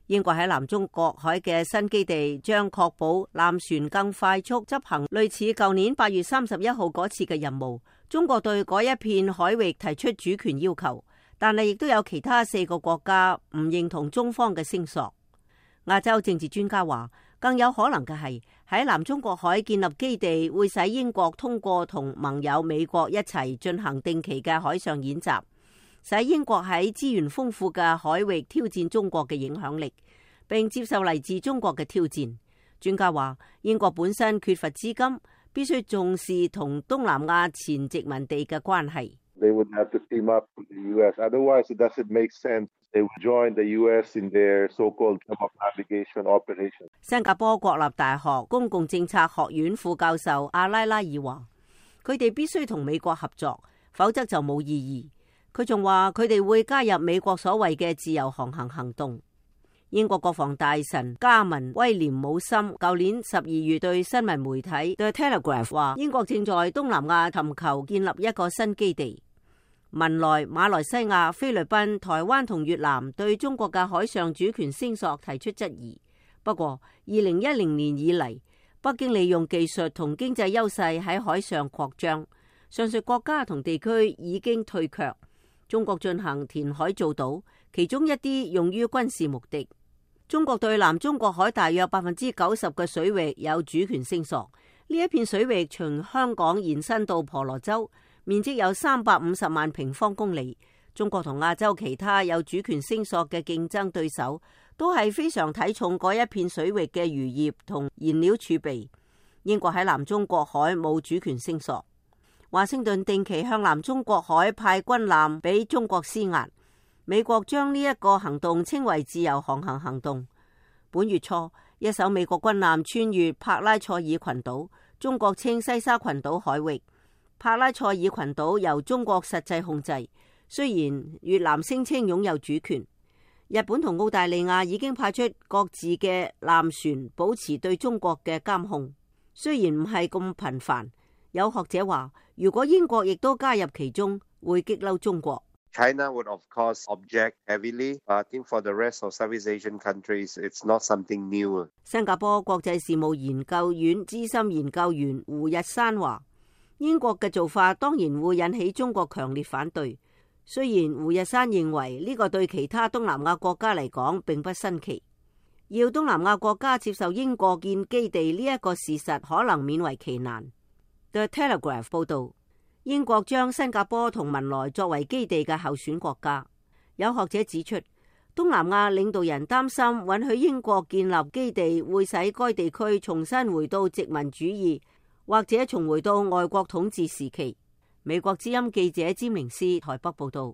英國喺南中國海嘅新基地將確保艦船更快速執行類似舊年8月31號嗰次嘅任務。中國對嗰一片海域提出主權要求，但係亦都有其他4個國家唔認同中方嘅聲索。亞洲政治專家話，更有可能嘅係喺南中國海建立基地，會使英國通過同盟友美國一齊進行定期嘅海上演習，使英國喺資源豐富嘅海域挑戰中國嘅影響力，並接受嚟自中國嘅挑戰。專家話，英國本身缺乏資金，必須重視同東南亞前殖民地嘅關係。They would have to team up with the US. Otherwise, it doesn't make sense. They would join the US in their so-called navigation operation. 新加坡國立大學公共政策學院副教授阿拉拉爾話，佢哋必須同美國合作，否則就冇意義。佢仲話，佢哋會加入美國所謂嘅自由航行行動。英國國防大臣加文威廉姆森舊年12月對新聞媒體 The Telegraph 話，英國正在東南亞尋求建立一個新基地。文萊、馬來西亞、菲律賓、台灣同越南對中國嘅海上主權聲索提出質疑。不過2010年以嚟，北京利用技術同經濟優勢喺海上擴張，上述國家同地區已經退卻。中國進行填海造島，其中一啲用於軍事目的。中國對南中國海大約90%嘅水域有主權聲索。呢一片水域從香港延伸到婆羅洲，面積有350萬平方公里。中國同亞洲其他有主權聲索嘅競爭對手，都係非常睇重嗰一片水域嘅漁業同燃料儲備。英國喺南中國海冇主權聲索。華盛頓定期向南中國海派軍艦俾中國施壓。美國將呢一個行動稱為自由航行行動。本月初，一艘美國軍艦穿越帕拉塞爾群島，中國稱西沙群島海域。帕拉塞爾群島由中國實際控制，雖然越南聲稱擁有主權。日本同澳大利亞已經派出各自嘅艦船，保持對中國嘅監控，雖然唔係咁頻繁。有學者話，如果英國亦都加入其中，會激嬲中國。China would of course object heavily, but I think for the rest of Southeast Asian countries, it's not something new. 新加坡國際事務研究院資深研究員胡日山話，英國嘅做法當然會引起中國強烈反對。雖然胡日山認為呢個對其他東南亞國家嚟講並不新奇，要東南亞國家接受英國建基地呢一個事實可能勉為其難。The Telegraph 報道，英國將新加坡同文萊作為基地嘅候選國家。有學者指出，東南亞領導人擔心允許英國建立基地會使該地區重新回到殖民主義，或者重回到外國統治時期。美國之音記者詹明斯台北報道。